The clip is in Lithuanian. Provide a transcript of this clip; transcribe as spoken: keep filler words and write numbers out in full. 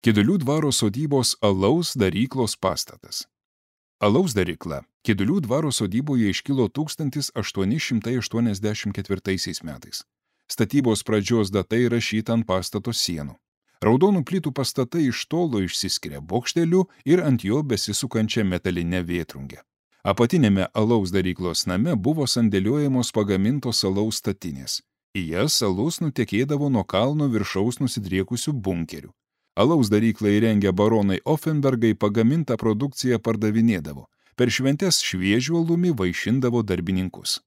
Kidulių dvaro sodybos alaus daryklos pastatas. Alaus darykla Kidulių dvaro sodyboje iškilo tūkstantis aštuoni šimtai aštuoniasdešimt ketvirtaisiais metais. Statybos pradžios data įrašyta ant pastato sienų. Raudonų plytų pastatai iš tolo išsiskiria bokšteliu ir ant jo besisukančia metalinė vėtrungė. Apatinėme alaus daryklos name buvo sandėliuojamos pagamintos alaus statinės. Į jas alus nutekėdavo nuo kalno viršaus nusidriekusių bunkerių. Alaus daryklą įrengę baronai Offenbergai pagamintą produkciją pardavinėdavo. Per šventes šviežių alumi vaišindavo darbininkus.